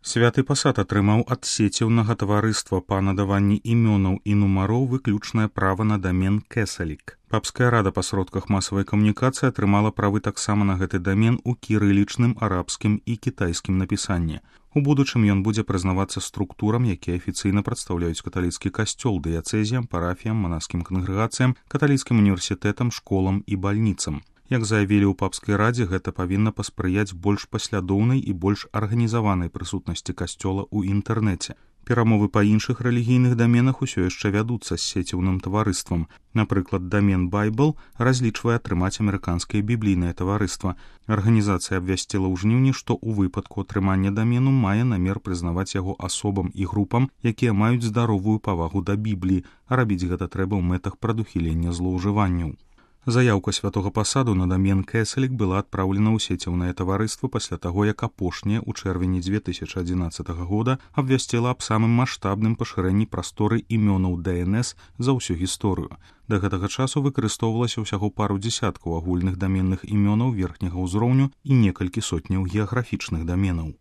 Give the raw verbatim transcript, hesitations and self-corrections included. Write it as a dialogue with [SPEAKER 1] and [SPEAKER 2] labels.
[SPEAKER 1] Святы пасад атрымаў ад сеціўнага таварыства па надаванні імёнаў і нумароў выключнае права на дамен Кесалік. Папская рада па сродках масавай камунікацыі атрымала правы таксама на гэты дамен у кірылічным, арабскім і кітайскім напісанні. У будучым ён будзе прызнавацца структурам, якія афіцыйна прадстаўляюць каталіцкі касцёл, дыяцэзіям, парафіям, манаскім кангрэгацыям, каталіцкім універсітэтам, школам і бальніцам. Як заявілі ў папскай радзе, гэта павінна паспрыяць больш паслядоўнай і больш арганізаванай прысутнасці касцёла ў інтэрнэце. Перамовы па іншых рэлігійных даменах усё яшчэ вядуцца з сеціўным таварыствам. Напрыклад, дамен Bible разлічвае атрымаць амерыканскае біблійнае таварыства. Арганізацыя абвясціла ў жніўні, што ў выпадку атрымання дамену мае намер прызнаваць яго асобам і групам, якія маюць здаровую павагу да Бібліі, а рабіць гэта трэба ў мэтах прадухілення злоўжыванняў. Заяўка святога пасаду на дамен Кесалік была адпраўлена ў сеціўнае таварыства пасля таго, як апошняе ў чэрвені дзве тысячы адзінаццатага года абвясціла аб самым маштабным пашырэнні прасторы імёнаў ди эн эс за ўсю гісторыю. Да гэтага часу выкарыстоўвалася ўсяго пару дзесяткаў агульных даменных імёнаў верхняга ўзроўню і некалькі сотняў геаграфічных даменаў.